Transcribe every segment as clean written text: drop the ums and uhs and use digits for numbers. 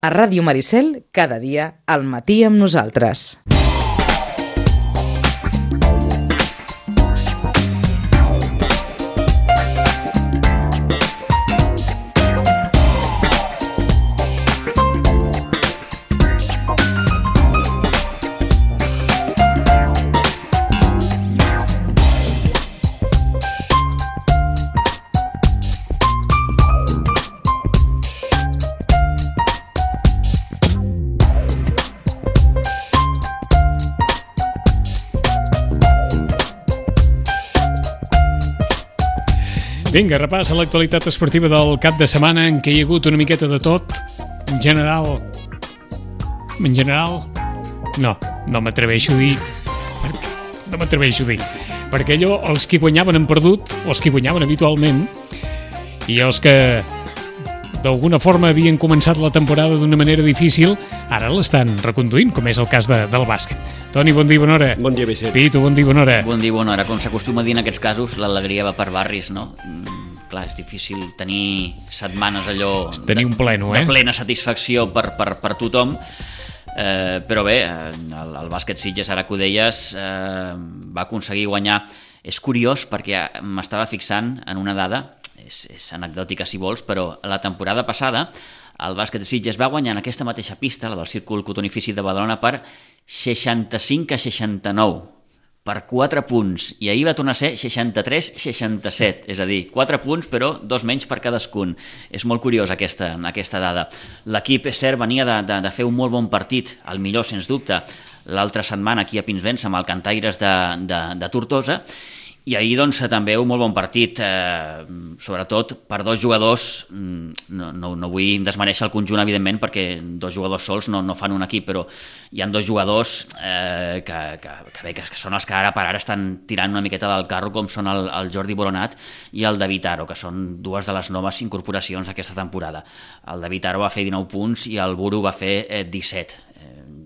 A Ràdio Maricel, cada dia al matí amb nosaltres. Vinga, repàs a l'actualitat esportiva del cap de setmana en què hi ha hagut una miqueta de tot. En general, no m'atreveixo a dir, perquè allò, els que guanyaven han perdut, els que guanyaven habitualment, i els que d'alguna forma havien començat la temporada d'una manera difícil, ara l'estan reconduint, com és el cas del bàsquet. Toni, bon dia, bona hora. Bon dia, Vicent. Pitu, bon dia, bona hora. Bon dia, bona hora. Com s'acostuma a dir en aquests casos, l'alegria va per barris, no? Clar, és difícil tenir setmanes allò... Tenir un pleno, de plena satisfacció per tothom, però bé, el bàsquet Sitges, ara que ho deies, va aconseguir guanyar. És curiós perquè m'estava fixant en una dada, és anecdòtica si vols, però la temporada passada el bàsquet Sitges va guanyar en aquesta mateixa pista, la del Círcul Cotonifici de Badalona, per 65-69, per 4 punts, i ahir va tornar a ser 63-67, és a dir, 4 punts però 2 menys per cadascun. És molt curiós aquesta dada. L'equip, és cert, venia de fer un molt bon partit, el millor sens dubte, l'altra setmana aquí a Pinsbens amb el Cantaires de Tortosa, i ahir doncs també un molt bon partit, sobretot per dos jugadors. No vull desmereixer el conjunt, evidentment, perquè dos jugadors sols no fan un equip, però hi ha dos jugadors que són els que ara per ara estan tirant una miqueta del carro, com són el Jordi Boronat i el David Aro, que són dues de les noves incorporacions d'aquesta temporada. El David Aro va fer 19 punts i el Buru va fer 17.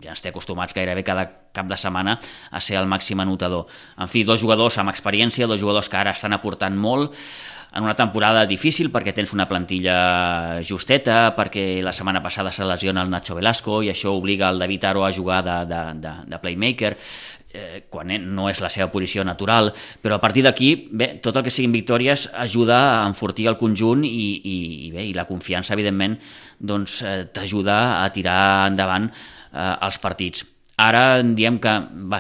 Ja ens té acostumats gairebé cada cap de setmana a ser el màxim anotador. En fi, dos jugadors amb experiència, dos jugadors que ara estan aportant molt en una temporada difícil perquè tens una plantilla justeta, perquè la setmana passada se lesiona el Nacho Velasco i això obliga el David Aro a jugar de playmaker, quan no és la seva posició natural, però a partir d'aquí, bé, tot el que siguin victòries ajuda a enfortir el conjunt i la confiança, evidentment, doncs t'ajuda a tirar endavant els partits. Ara diem que,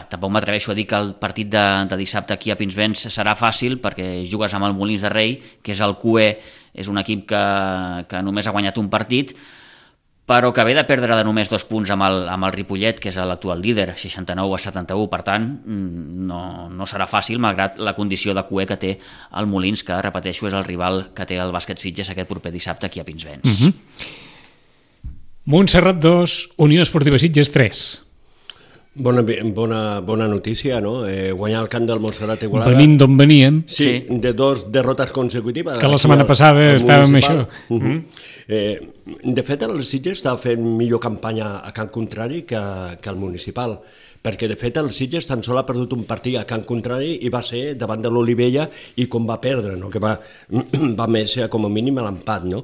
tampoc m'atreveixo a dir que el partit de dissabte aquí a Pinsbens serà fàcil, perquè jugues amb el Molins de Rei, que és el QE, és un equip que només ha guanyat un partit, però que ve de perdre de només 2 punts amb el Ripollet, que és l'actual líder, 69-71, per tant, no serà fàcil, malgrat la condició de QE que té el Molins, que, repeteixo, és el rival que té el bàsquet Sitges aquest proper dissabte aquí a Pinsbens. Montserrat 2, Unió Esportiva Sitges 3. Bona notícia, no? Guanyar el camp del Montserrat Igualada. Venint d'on veníem. Sí, de 2 derrotes consecutives. Que la setmana passada estàvem això. De fet, el Sitges està fent millor campanya a camp contrari que el municipal, perquè de fet el Sitges tan sol ha perdut un partit a camp contrari i va ser davant de l'Olivella i com va perdre, no? Que va més com a mínim a l'empat, no?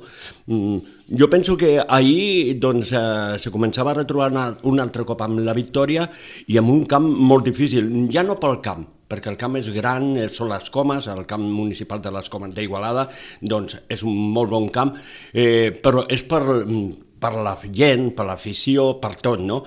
Jo penso que ahir doncs, se començava a retrobar un altre cop amb la victòria i amb un camp molt difícil, ja no pel camp, perquè el camp és gran, són les Comes, el camp municipal de les Comes d'Igualada, doncs és un molt bon camp, però és per la gent, per l'afició, per tot, no?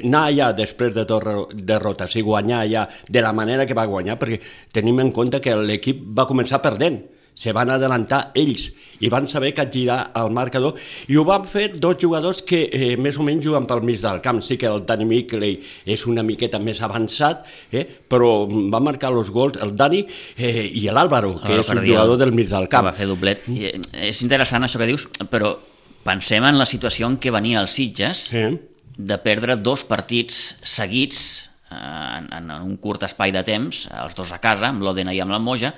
Anar allà després de derrotes i guanyar allà de la manera que va guanyar, perquè tenim en compte que l'equip va començar perdent, se van adelantar ells i van saber capgirar el marcador i ho van fer dos jugadors que més o menys juguen pel mig del camp. Sí que el Dani Mickley és una miqueta més avançat, però va marcar els gols el Dani i l'Àlvaro, que és un jugador del mig del camp. Va fer doblet. És interessant això que dius, però pensem en la situació en què venia el Sitges de perdre 2 partits seguits en un curt espai de temps, els 2 a casa, amb l'Òdena i amb la Moja,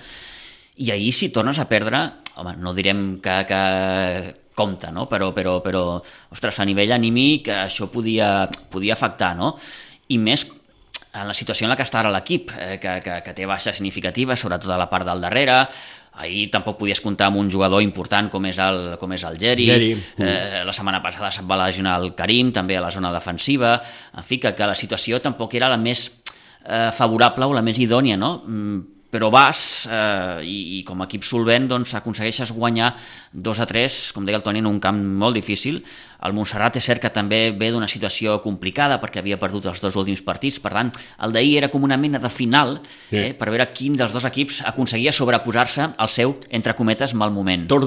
i ahir si tornes a perdre, home, no direm que compta, no? Però, ostres, a nivell anímic això podia afectar, no? I més en la situació en la que està ara l'equip, que té baixes significatives, sobretot a la part del darrere, Ahir tampoc podies comptar amb un jugador important com és el Geri. La setmana passada se't va lesionar el Karim, també a la zona defensiva. En fi, que la situació tampoc era la més favorable o la més idònia, no? Però vas i com a equip solvent doncs, aconsegueixes guanyar 2-3, com deia el Toni, en un camp molt difícil. El Montserrat és cert que també ve d'una situació complicada perquè havia perdut els 2 últims partits, per tant, el d'ahir era com una mena de final per veure quin dels 2 equips aconseguia sobreposar-se al seu, entre cometes, mal moment. Tots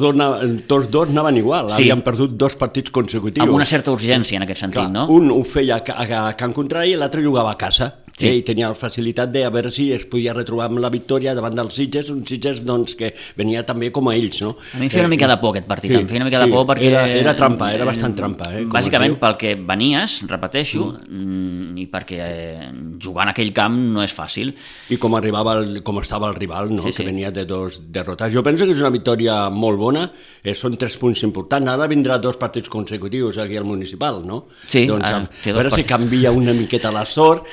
dos anaven igual, havien perdut 2 partits consecutius. Amb una certa urgència en aquest sentit, no? Un ho feia a camp contrari i l'altre jugava a casa. Sí. I tenia la facilitat de a veure si es podia retrobar amb la victòria davant dels Sitges, un Sitges doncs, que venia també com a ells, no? A mi em feia una mica de por aquest partit, em feia una mica de por perquè... Era trampa, era bastant trampa. Bàsicament pel que venies, repeteixo, i perquè jugar en aquell camp no és fàcil. I com estava el rival, no? Que venia de 2 derrotes. Jo penso que és una victòria molt bona, són 3 punts importants. Ara vindrà 2 partits consecutius aquí al Municipal, no? Sí, doncs, a veure si canvia una miqueta la sort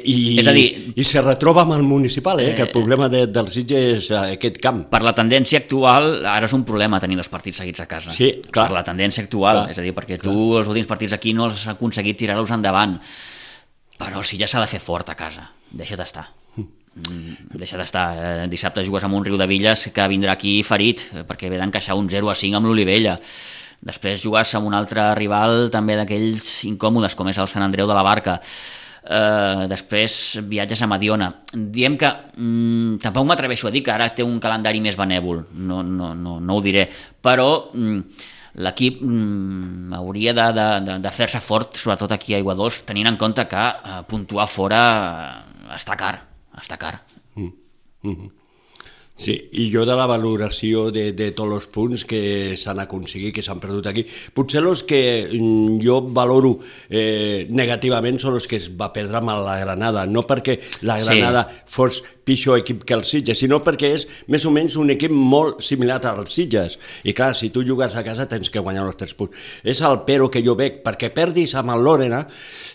és a dir, i se retroba amb el Municipal, que el problema del Sitges és aquest camp. Per la tendència actual, ara és un problema tenir 2 partits seguits a casa. Sí, clar. Per la tendència actual, és a dir, perquè tu els últims partits aquí no has aconseguit tirar-los endavant, però el Sitges s'ha de fer fort a casa, deixa d'estar. Dissabte jugues amb un Riudevilles que vindrà aquí ferit, perquè ve d'encaixar un 0-5 amb l'Olivella. Després jugues amb un altre rival també d'aquells incòmodes, com és el Sant Andreu de la Barca. Després viatges a Mediona. Diem que tampoc m'atreveixo a dir que ara té un calendari més benèvol, no ho diré, però l'equip hauria de fer-se fort, sobretot aquí a Aiguadols, tenint en compte que puntuar fora està car. Sí, i jo de la valoració de tots els punts que s'han aconseguit, que s'han perdut aquí, potser els que jo valoro negativament són els que es va perdre amb la Granada, no perquè la Granada fos pitjor equip que els Sitges, sinó perquè és més o menys un equip molt similar als Sitges, i clar, si tu jugues a casa tens que guanyar els 3 punts. És el però que jo veig, perquè perdis amb el Lòdena,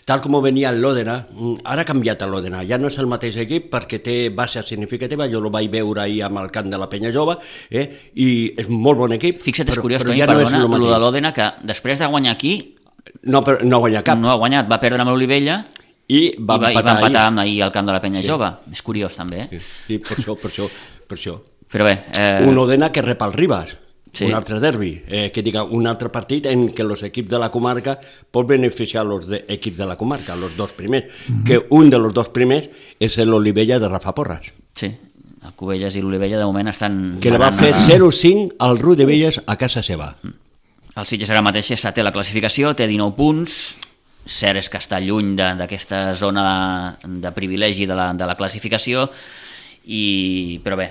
tal com venia el Lòdena, ara ha canviat el Lòdena, ja no és el mateix equip perquè té base significativa, jo el vaig veure ahir amb el camp de la Penya Jove, i és molt bon equip. Fixa't, és curiós, Toni, perdona, el de l'Òdena, que després de guanyar aquí... No ha guanyat cap. No ha guanyat, va perdre amb l'Olivella, i va empatar ahir al camp de la Penya Jove. És curiós, també. Sí, per això. Però bé... Un Òdena que rep el Ribas, un altre derbi, que diga un altre partit en què els equips de la comarca pot beneficiar els equips de la comarca, els 2 primers, que un dels 2 primers és l'Olivella de Rafa Porras. Sí, el Cubelles i l'Olivella de moment estan... Que le va fer 0-5 al Riudevilles a casa seva. El Sitges ara mateix és 7è a la classificació, té 19 punts... Cert és que està lluny d'aquesta zona de privilegi de la classificació, però bé,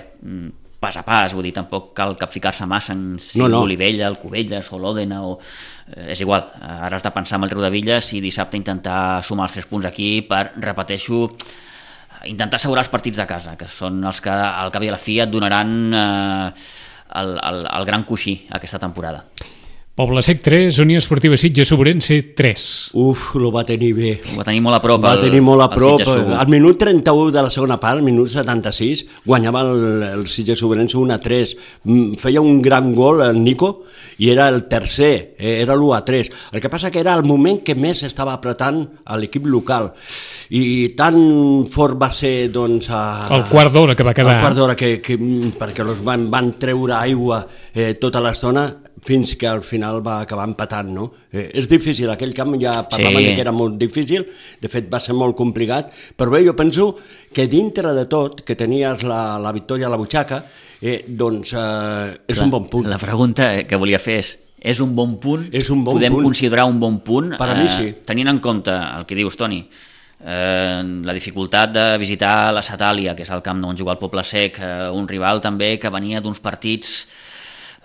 pas a pas, vull dir, tampoc cal capficar-se massa en si l'Olivella, el Cubelles o l'Òdena, és igual, ara has de pensar en el Riudevilles i dissabte intentar sumar els 3 punts aquí per, repeteixo, intentar assegurar els partits de casa, que són els que al cap i a la fi et donaran el gran coixí aquesta temporada. Poble Sec 3, Unió Esportiva Sitges Sobrense 3. Lo va tenir bé. Ho va tenir molt a prop. Al minut 31 de la segona part, al minut 76, guanyava el Sitges Sobrense 1-3. Feia un gran gol el Nico i era el tercer, era l'1-3. El que passa que era el moment que més estava apretant a l'equip local. I tan fort va ser, doncs... El quart d'hora que va quedar. El quart d'hora perquè els van treure aigua tota l'estona fins que al final va acabar empatant, no? És difícil, aquell camp ja parlaven que era molt difícil, de fet va ser molt complicat, però bé, jo penso que dintre de tot, que tenies la victòria a la butxaca, doncs és un bon punt. La pregunta que volia fer és un bon punt? Podem considerar un bon punt? Per a mi sí. Tenint en compte el que dius, Toni, la dificultat de visitar la Satàlia, que és el camp on juga el Poble Sec, un rival també que venia d'uns partits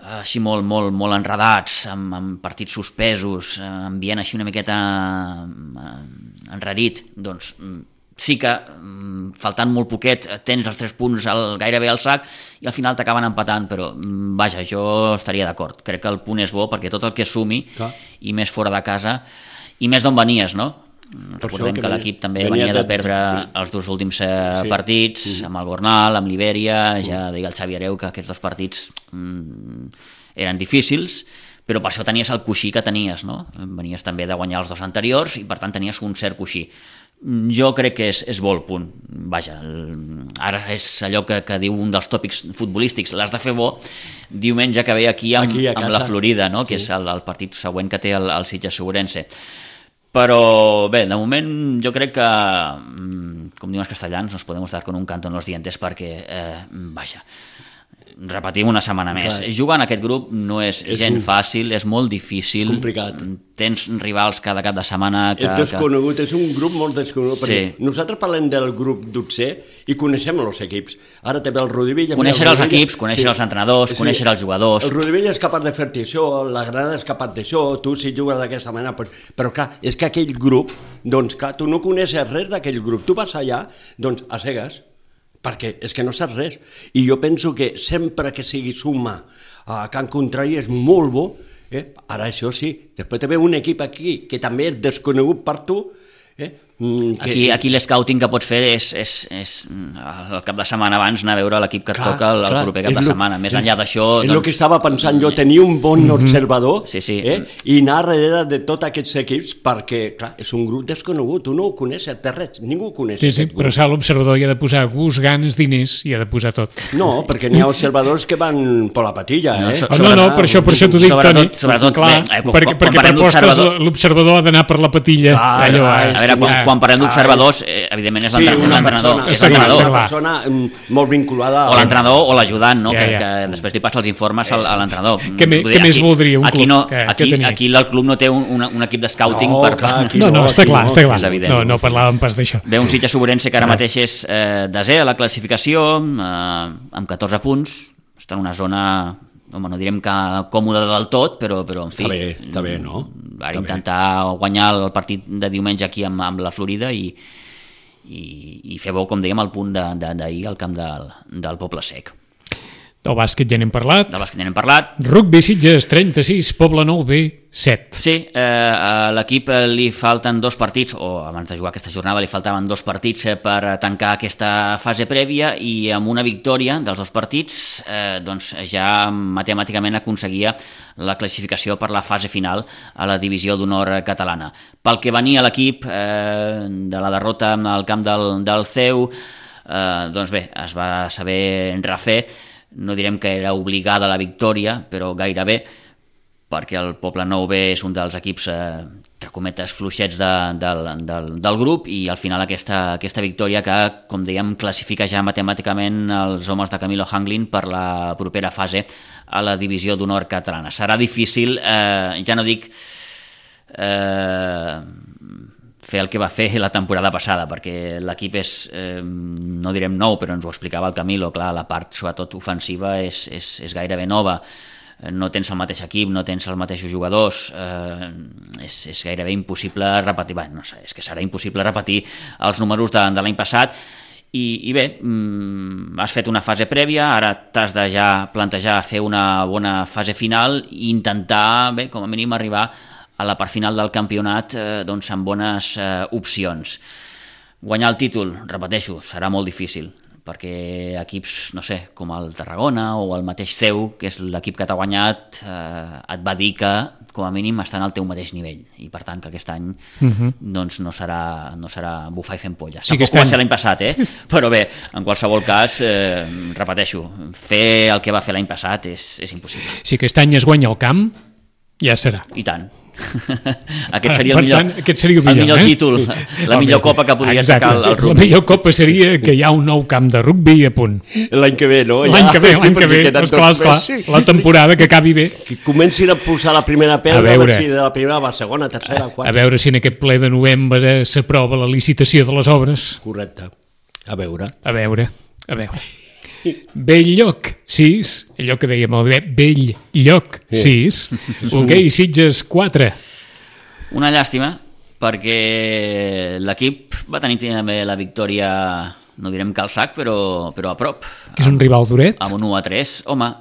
així molt enredats, amb partits suspesos, ambient així una miqueta enrarit, doncs sí que faltant molt poquet tens els 3 punts gairebé al sac i al final t'acaben empatant, però vaja, jo estaria d'acord, crec que el punt és bo perquè tot el que sumi i més fora de casa i més d'on venies, no? Recordem que l'equip també venia de perdre els 2 últims partits, amb el Gornal, amb l'Ibèria, ja deia el Xavi Hereu que aquests 2 partits eren difícils, però per això tenies el coixí que tenies, no? Venies també de guanyar els 2 anteriors i per tant tenies un cert coixí. Jo crec que és bo el punt. Vaja, ara és allò que diu un dels tòpics futbolístics, l'has de fer bo diumenge que ve aquí amb la Florida, no? Que és el partit següent que té el Sitges Segurense. Però bé, de moment jo crec que, com diuen els castellans, nos podemos dar con un canto en los dientes perquè, vaja, repetim una setmana més. Jugar en aquest grup no és gens fàcil, és molt difícil. Complicat. Tens rivals cada cap de setmana. És desconegut, és un grup molt desconegut. Sí. Nosaltres parlem del grup d'11 i coneixem els equips. Ara també el Rodivell... Conèixer els equips, conèixer els entrenadors, conèixer els jugadors... El Rodivell és capaç de fer-te això, la Granada és capaç d'això, tu si jugues d'aquesta manera... Però clar, és que aquell grup, doncs clar, tu no coneixes res d'aquell grup. Tu vas allà, doncs, a cegues, perquè és que no saps res. I jo penso que sempre que sigui suma a Can Contrari és molt bo. Ara això sí, després també un equip aquí que també és desconegut per tu. Aquí l'escouting que pots fer és el cap de setmana abans anar a veure l'equip que et toca el proper cap de setmana. Més enllà d'això... És el que estava pensant jo, tenir un bon observador i anar darrere de tots aquests equips perquè, clar, és un grup desconegut, tu no ho coneixes de res, ningú ho coneix. Sí, però l'observador hi ha de posar gust, ganes, diners, hi ha de posar tot. No, perquè n'hi ha observadors que van per la patilla, No, per això t'ho dic, Toni. Sobretot, perquè per postes l'observador ha d'anar per la patilla. A veure, quan parlem d'observadors, evidentment és l'entrenador. És una persona molt vinculada... O l'entrenador o l'ajudant, no? Que després li passa els informes a l'entrenador. Què més voldria un club? Aquí el club no té un equip de scouting per... No, està clar. No parlàvem pas d'això. Ve un Sitges Segurense que ara mateix és desè a la classificació, amb 14 punts, està en una zona... Home, no direm que còmode del tot, però en fi... Està bé, no? Va intentar guanyar el partit de diumenge aquí amb la Florida i fer bo, com dèiem, el punt d'ahir al camp del Poble Sec. Del bàsquet ja n'hem parlat. Rugby Sitges 36, Poble Nou B 7. Sí, a l'equip li falten 2 partits, o abans de jugar aquesta jornada li faltaven 2 partits per tancar aquesta fase prèvia i amb una victòria dels 2 partits doncs ja matemàticament aconseguia la classificació per la fase final a la divisió d'honor catalana. Pel que venia l'equip de la derrota al camp del CEU, doncs bé, es va saber refer. No direm que era obligada la victòria, però gairebé, perquè el Poble Nou B és un dels equips, entre cometes, fluixets del grup i al final aquesta victòria que, com dèiem, classifica ja matemàticament els homes de Camilo Hanglin per la propera fase a la divisió d'honor catalana. Serà difícil, ja no dic... fer el que va fer la temporada passada, perquè l'equip és, no direm nou, però ens ho explicava el Camilo, clar, la part sobretot ofensiva és gairebé nova, no tens el mateix equip, no tens els mateixos jugadors, és gairebé impossible repetir, no sé, és que serà impossible repetir els números de l'any passat, i bé, has fet una fase prèvia, ara t'has de ja plantejar fer una bona fase final i intentar, bé, com a mínim arribar a la part final del campionat doncs amb bones opcions. Guanyar el títol, repeteixo, serà molt difícil, perquè equips, no sé, com el Tarragona o el mateix CEU, que és l'equip que t'ha guanyat, et va dir que, com a mínim, estan al teu mateix nivell, i per tant que aquest any doncs no serà bufar i fent polles. Tampoc va ser l'any passat, però bé, en qualsevol cas, repeteixo, fer el que va fer l'any passat és impossible. Si aquest any es guanya el camp, ja serà. I tant. Aquest seria el millor títol, la millor copa que podria sacar el rugby. La millor copa seria que hi ha un nou camp de rugby a punt. L'any que ve, no? L'any que ve, esclar, la temporada que acabi bé. Que comencin a posar la primera pedra, a veure si de la primera va a segona, tercera, quarta. A veure si en aquest ple de novembre s'aprova la licitació de les obres. Correcte. A veure. Bell-lloc 6, allò que dèiem Bell-lloc 6, hoquei Sitges 4. Una llàstima, perquè l'equip va tenir també la victòria, no direm que al sac, però a prop. Que és un rival duret? Amb un 1-3, home...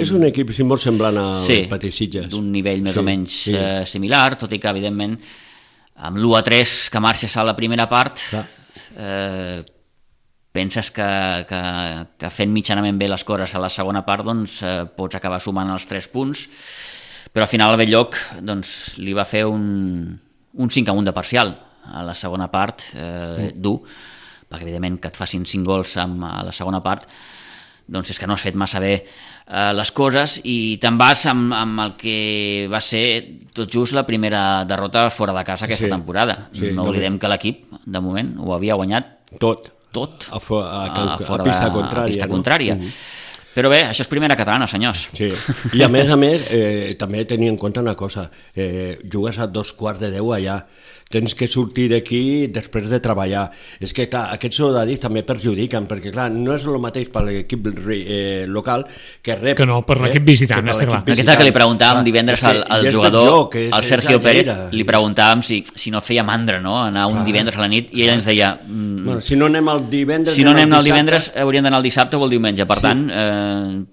És un equip molt semblant al Petit Sitges. D'un nivell més o menys similar, tot i que, evidentment, amb l'1-3 que marxes a la primera part, penses que fent mitjanament bé les coses a la segona part doncs, pots acabar sumant els 3 punts, però al final el Bell-lloc doncs, li va fer un 5-1 de parcial a la segona part, dur, perquè evidentment que et facin 5 gols a la segona part doncs és que no has fet massa bé les coses i te'n vas amb el que va ser tot just la primera derrota fora de casa aquesta temporada. No oblidem que l'equip, de moment, ho havia guanyat tot a pista contrària. Però bé, això és primera catalana, senyors. Sí. I a més, també tenir en compte una cosa, jugues a 2:15 allà, tens que sortir d'aquí després de treballar. És que, clar, aquests horaris també perjudiquen, perquè, clar, no és el mateix per l'equip local que rep... Que no, per l'equip visitant, està clar. Aquesta que li preguntàvem divendres al jugador, al Sergio Pérez, li preguntàvem si no feia mandra, no?, anar un divendres a la nit, i ell ens deia... Si no anem el divendres... Si no anem el divendres, hauríem d'anar el dissabte o el diumenge. Per tant,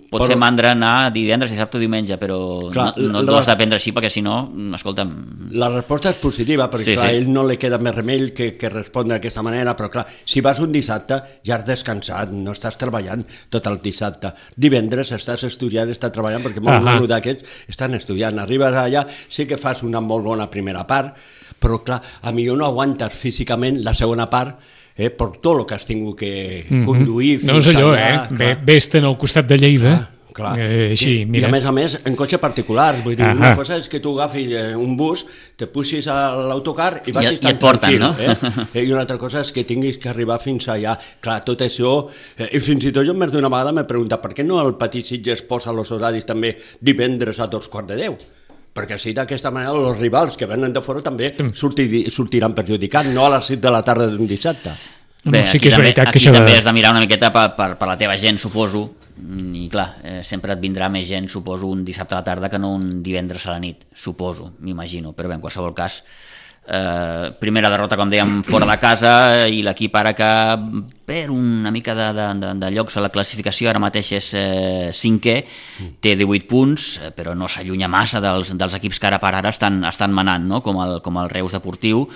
pot fer mandra anar divendres, dissabte o diumenge, però no t'ho has de prendre així, perquè si no, escolta'm... La resposta és positiva, perquè, clar, a ell no li queda més remei que respondre d'aquesta manera, però clar, si vas un dissabte ja has descansat, no estàs treballant tot el dissabte. Divendres estàs estudiant, estàs treballant, perquè molts d'aquests estan estudiant. Arribes allà, sí que fas una molt bona primera part, però clar, a millor no aguantes físicament la segona part, per tot el que has tingut que conduir fins allà. No és allò, ves-te'n al costat de Lleida, així, mira. I a més en cotxe particular, vull dir, una cosa és que tu agafis un bus, te puixis a l'autocar i vagis tan tranquil, no? I una altra cosa és que tinguis que arribar fins allà. Clar, tot això, i fins i tot jo més d'una vegada m'he preguntat per què no el Petit Sitges posa els horaris també divendres a 2:15? Perquè així d'aquesta manera els rivals que venen de fora també sortiran perjudicats, no a les 7 de la tarda d'un dissabte. Bé, sí que és veritat que això també has de mirar una miqueta per la teva gent, suposo, i clar, sempre et vindrà més gent, suposo, un dissabte a la tarda que no un divendres a la nit, suposo, m'imagino, però bé, en qualsevol cas, primera derrota, com dèiem, fora de casa, i l'equip ara que per una mica de llocs a la classificació, ara mateix és 5è, té 18 punts, però no s'allunya massa dels equips que ara per ara estan manant, no? Com el Reus Deportiu,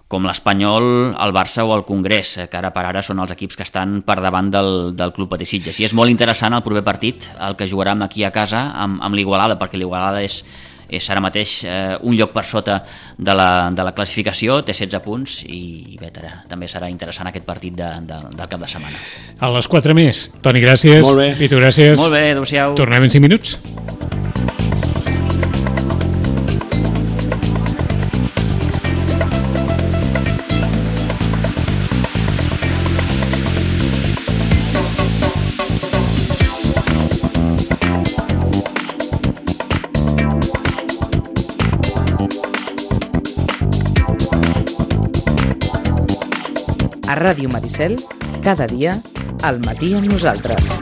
com l'Espanyol, el Barça o el Congrés, que ara per ara són els equips que estan per davant del Club Patí Sitges. I és molt interessant el proper partit, el que jugarem aquí a casa amb l'Igualada, perquè l'Igualada és ara mateix un lloc per sota de la classificació, té 16 punts i bé, també serà interessant aquest partit del cap de setmana. A les 4 més. Toni, gràcies. Molt bé. Pitu, gràcies. Molt bé, adéu-siau. Tornem en 5 minuts. A Ràdio Maricel, cada dia, al matí amb nosaltres.